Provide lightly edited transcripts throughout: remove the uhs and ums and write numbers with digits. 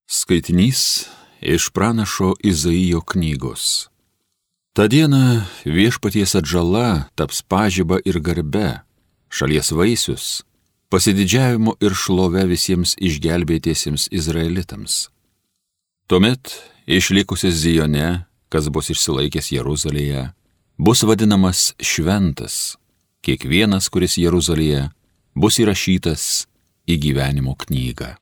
Skaitinys iš pranašo Izaijo knygos. Ta diena viešpaties atžala taps pažiba ir garbe, šalies vaisius, pasididžiavimu ir šlove visiems išgelbėtiesiems izraelitams. Tuomet išlikusis Zione, kas bus išsilaikęs Jeruzalėje, bus vadinamas šventas, kiekvienas, kuris Jeruzalėje, bus įrašytas į gyvenimo knygą.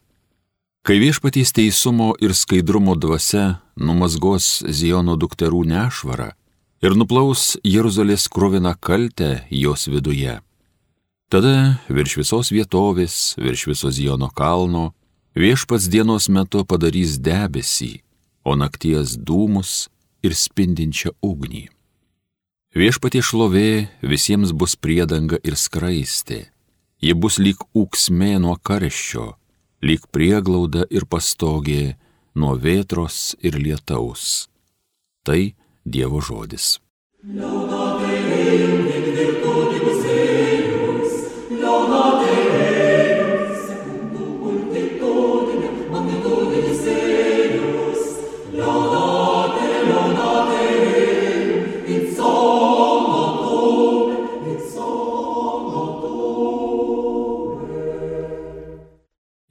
Kai viešpaties teisumo ir skaidrumo dvasia numazgos Ziono dukterų nešvarą ir nuplaus Jeruzalės kruviną kaltę jos viduje, tada virš visos vietovės, virš viso Ziono kalno, viešpats dienos metu padarys debesį, o nakties dūmus ir spindinčią ugnį. Viešpaties šlovė visiems bus priedanga ir skraistė, ji bus lyg ūksmė nuo karščio, lyg prieglauda ir pastogė nuo vėtros ir lietaus. Tai Dievo žodis.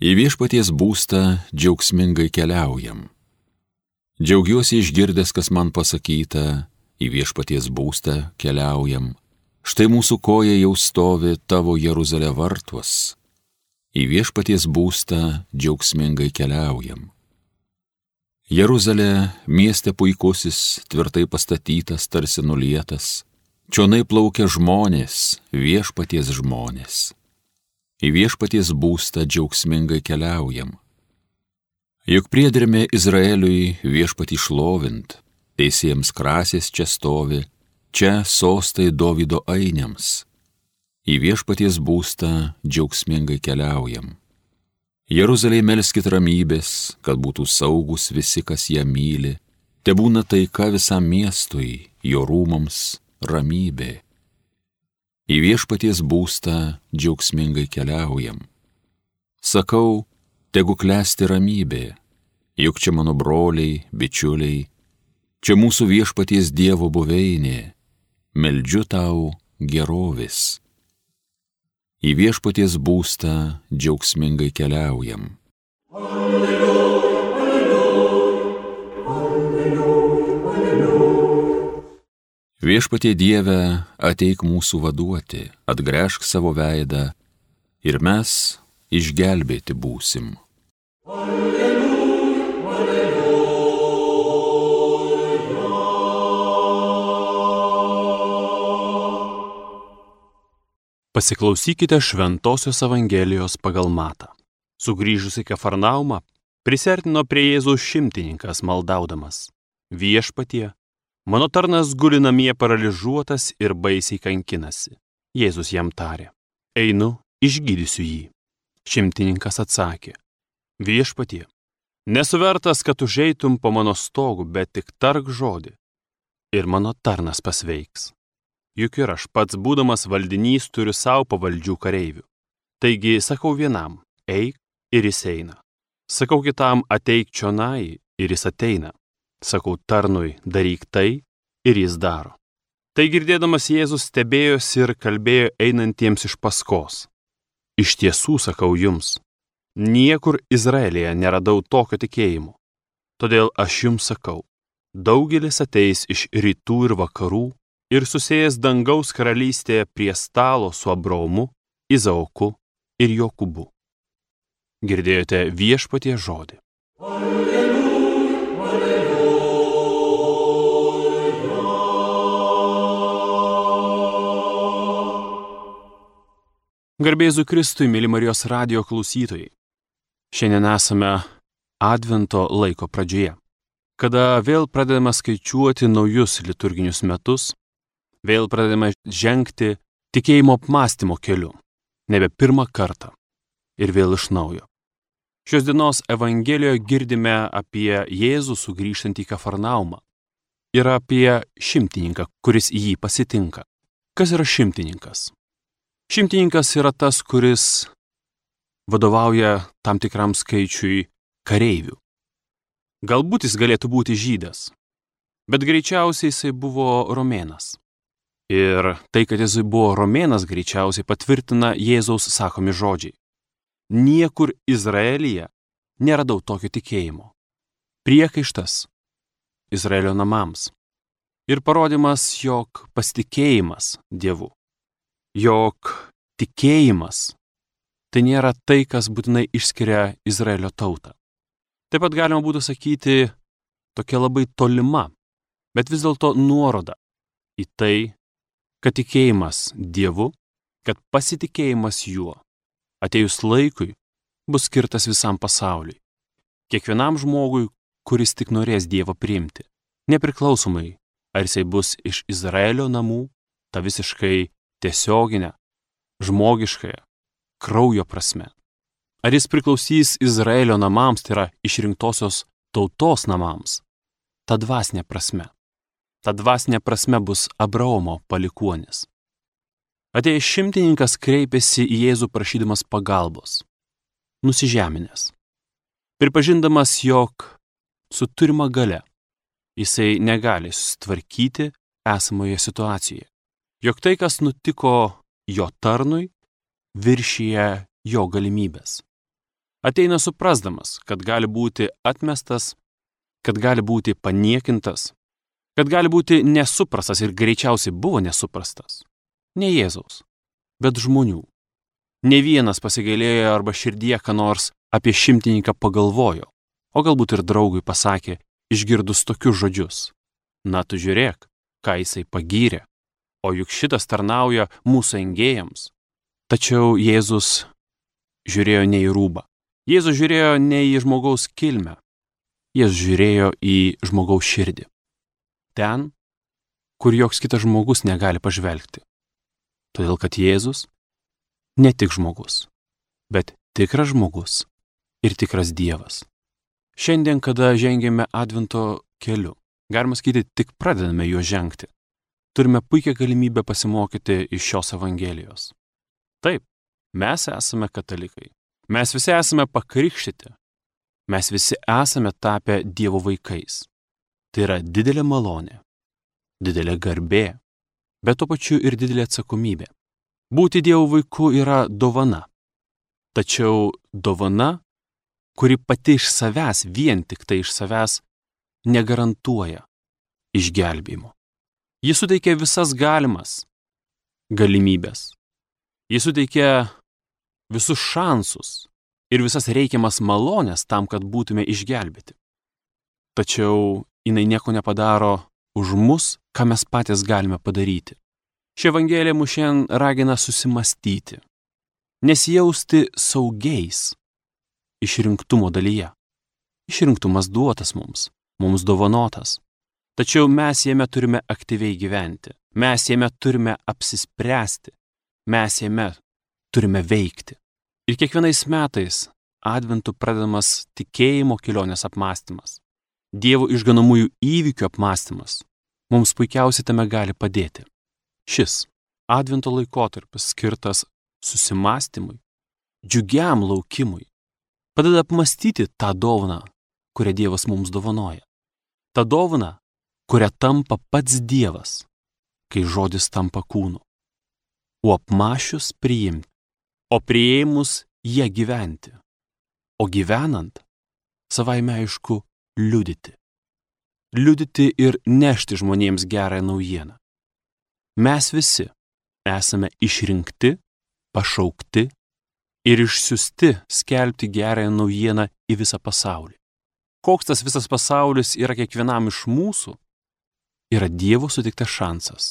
Į viešpaties būstą džiaugsmingai keliaujam. Džiaugiuosi išgirdęs, kas man pasakyta, į viešpaties būstą keliaujam. Štai mūsų koja jau stovi tavo Jeruzalė vartuos. Į viešpaties būstą džiaugsmingai keliaujam. Jeruzalė, mieste puikusis, tvirtai pastatytas, tarsi nulietas. Čionai plaukia žmonės, viešpaties žmonės. Į viešpaties būstą džiaugsmingai keliaujam. Juk priedermė Izraeliui viešpatį šlovint, teisėjams krasės čia stovi, čia sostai Dovydo ainiams. Į viešpaties būstą džiaugsmingai keliaujam. Jeruzalėje melskit ramybės, kad būtų saugus visi, kas ją myli, tebūna taika visam miestui, jo rūmams ramybė. Į viešpaties būstą džiaugsmingai keliaujam. Sakau, tegu klesti ramybė, juk čia mano broliai, bičiuliai, čia mūsų viešpaties Dievo buveinė, meldžiu tau gerovės. Į viešpaties būstą džiaugsmingai keliaujam. Viešpatie Dieve, ateik mūsų vaduoti, atgręžk savo veidą ir mes išgelbėti būsim. Alleluja, alleluja. Pasiklausykite Šventosios Evangelijos pagal Matą. Sugrįžusi Kafarnaumą, prisiartino prie Jėzaus šimtininkas maldaudamas: Viešpatie, mano tarnas guli namie paralyžiuotas ir baisiai kankinasi. Jėzus jam tarė: Einu, išgydysiu jį. Šimtininkas atsakė: Viešpatie, nesu vertas, kad užeitum po mano stogu, bet tik tark žodį, ir mano tarnas pasveiks. Juk ir aš pats, būdamas valdinys, turiu savo pavaldžių kareivių. Taigi sakau vienam: eik, ir jis eina. Sakau kitam: ateik čionai, ir jis ateina. Sakau tarnui: daryk tai, ir jis daro. Tai girdėdamas Jėzus stebėjosi ir kalbėjo einantiems iš paskos: Iš tiesų sakau jums, niekur Izraelyje neradau tokio tikėjimo. Todėl aš jums sakau, daugelis ateis iš rytų ir vakarų ir susėjęs dangaus karalystėje prie stalo su Abraomu, Izaoku ir Jokūbu. Girdėjote viešpaties žodį. Garbė Jėzui Kristui, mėly Marijos radijo klausytojai. Šiandien esame Advento laiko pradžioje, kada vėl pradedame skaičiuoti naujus liturginius metus, vėl pradedame žengti tikėjimo apmąstymo keliu, nebe pirmą kartą ir vėl iš naujo. Šios dienos Evangelijoje girdime apie Jėzų sugrįžtantį į Kafarnaumą ir apie šimtininką, kuris jį pasitinka. Kas yra šimtininkas? Šimtininkas yra tas, kuris vadovauja tam tikram skaičiui kareivių. Galbūt jis galėtų būti žydas, bet greičiausiai jisai buvo romėnas. Ir tai, kad jisai buvo romėnas, greičiausiai patvirtina Jėzaus sakomi žodžiai. Niekur Izraelyje neradau tokio tikėjimo. Priekaištas Izraelio namams. Ir parodymas, jog pasitikėjimas Dievu, jog tikėjimas tai nėra tai, kas būtinai išskiria Izraelio tautą. Taip pat galima būtų sakyti tokia labai tolima, bet vis dėlto nuoroda į tai, kad tikėjimas Dievu, kad pasitikėjimas juo atėjus laikui bus skirtas visam pasauliui. Kiekvienam žmogui, kuris tik norės Dievą priimti, nepriklausomai, ar jisai bus iš Izraelio namų, ta visiškai tiesioginė, žmogiškąją, kraujo prasme. Ar jis priklausys Izraelio namams, tai yra išrinktosios tautos namams, ta dvasinė prasme. Ta dvasinė prasme bus Abraomo palikuonis. Atėjęs šimtininkas kreipėsi į Jėzų prašydamas pagalbos, nusižeminęs, pripažindamas, jog su turima galia jisai negali susitvarkyti esamoje situacijoje, jog tai, kas nutiko jo tarnui, viršyje jo galimybės. Ateina suprasdamas, kad gali būti atmestas, kad gali būti paniekintas, kad gali būti nesuprastas ir greičiausiai buvo nesuprastas. Ne Jėzaus, bet žmonių. Ne vienas pasigailėjo arba širdie ką nors apie šimtininką pagalvojo, o galbūt ir draugui pasakė, išgirdus tokius žodžius. Na tu žiūrėk, ką jisai pagyrė, o juk šitas tarnauja mūsų engėjams. Tačiau Jėzus žiūrėjo ne į rūbą. Jėzus žiūrėjo ne į žmogaus kilmę. Jėzus žiūrėjo į žmogaus širdį. Ten, kur joks kitas žmogus negali pažvelgti. Todėl, kad Jėzus ne tik žmogus, bet tikras žmogus ir tikras Dievas. Šiandien, kada žengėme Advento keliu, galima sakyti, tik pradedame juo žengti, turime puikią galimybę pasimokyti iš šios Evangelijos. Taip, mes esame katalikai. Mes visi esame pakrikštyti. Mes visi esame tapę Dievo vaikais. Tai yra didelė malonė, didelė garbė, bet tuo pačiu ir didelė atsakomybė. Būti Dievo vaiku yra dovana. Tačiau dovana, kuri pati iš savęs, vien tik tai iš savęs, negarantuoja išgelbėjimo. Ji suteikia visas galimas galimybės. Ji suteikia visus šansus ir visas reikiamas malonės tam, kad būtume išgelbėti. Tačiau jinai nieko nepadaro už mus, ką mes patys galime padaryti. Ši Evangelija mus šiandien ragina susimastyti, nesijausti saugiais išrinktumo dalyje. Išrinktumas duotas mums dovanotas. Tačiau mes jame turime aktyviai gyventi, mes jame turime apsispręsti, mes jame turime veikti. Ir kiekvienais metais Adventu pradedamas tikėjimo kelionės apmąstymas, Dievo išganomųjų įvykių apmąstymas mums puikiausiai tame gali padėti. Šis Advento laikotarpis skirtas susimąstymui, džiugiam laukimui, padeda apmąstyti tą dovaną, kurią Dievas mums dovanoja. Ta dovana, kurią tampa pats Dievas, kai žodis tampa kūnu. O apmąsčius priimti, o priėmus jie gyventi, o gyvenant, savaime aišku, liudyti. Liudyti ir nešti žmonėms gerąją naujieną. Mes visi esame išrinkti, pašaukti ir išsiųsti skelbti gerąją naujieną į visą pasaulį. Koks tas visas pasaulis yra kiekvienam iš mūsų, yra Dievo suteiktas šansas.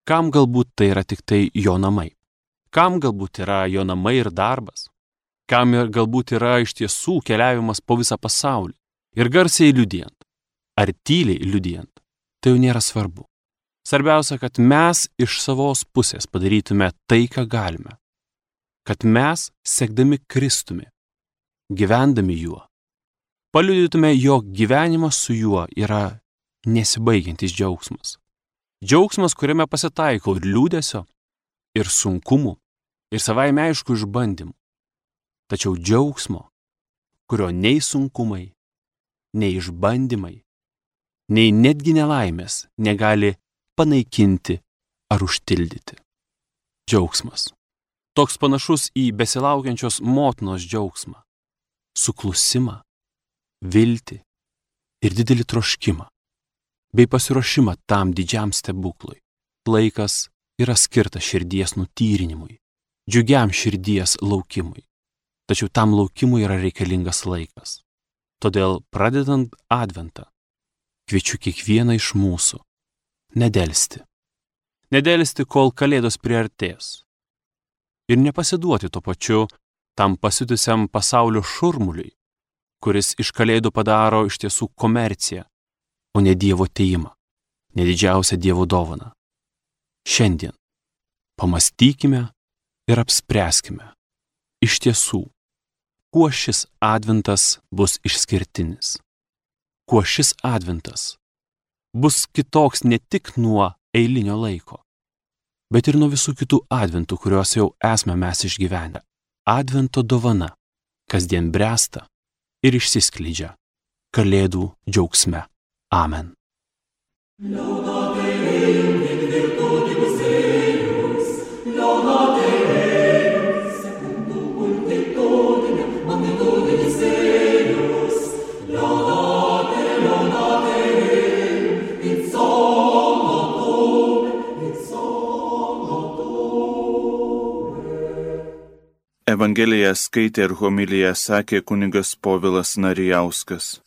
Kam galbūt tai yra tik tai jo namai? Kam galbūt yra jo namai ir darbas? Kam galbūt yra iš tiesų keliavimas po visą pasaulį ir garsiai liudijant, ar tyliai liudijant, tai jau nėra svarbu. Svarbiausia, kad mes iš savos pusės padarytume tai, ką galime. Kad mes, sekdami Kristumi, gyvendami juo, paliudytume, jog gyvenimas su juo yra nesibaigiantis džiaugsmas. Džiaugsmas, kuriame pasitaiko ir liūdesio, ir sunkumų, ir savaime aišku išbandymų. Tačiau džiaugsmo, kurio nei sunkumai, nei išbandymai, nei netgi nelaimės negali panaikinti ar užtildyti. Džiaugsmas. Toks panašus į besilaukiančios motinos džiaugsmą, suklusimą, viltį ir didelį troškimą, bei pasiruošimą tam didžiam stebuklui. Laikas yra skirtas širdies nutyrinimui, džiugiam širdies laukimui. Tačiau tam laukimui yra reikalingas laikas. Todėl, pradedant Adventą, kviečiu kiekvieną iš mūsų nedelsti. Nedelsti, kol Kalėdos priartės. Ir nepasiduoti tuo pačiu tam pasiutusiam pasaulio šurmuliui, kuris iš Kalėdų padaro iš tiesų komerciją, o ne Dievo atėjimą, ne didžiausią Dievo dovaną. Šiandien pamastykime ir apspręskime iš tiesų, kuo šis Adventas bus išskirtinis, kuo šis Adventas bus kitoks ne tik nuo eilinio laiko, bet ir nuo visų kitų Adventų, kuriuos jau esame mes išgyvenę. Advento dovana kasdien bręsta ir išsiskleidžia Kalėdų džiaugsme. Amen. Evangeliją skaitė ir homiliją sakė kunigas Povilas Narijauskas.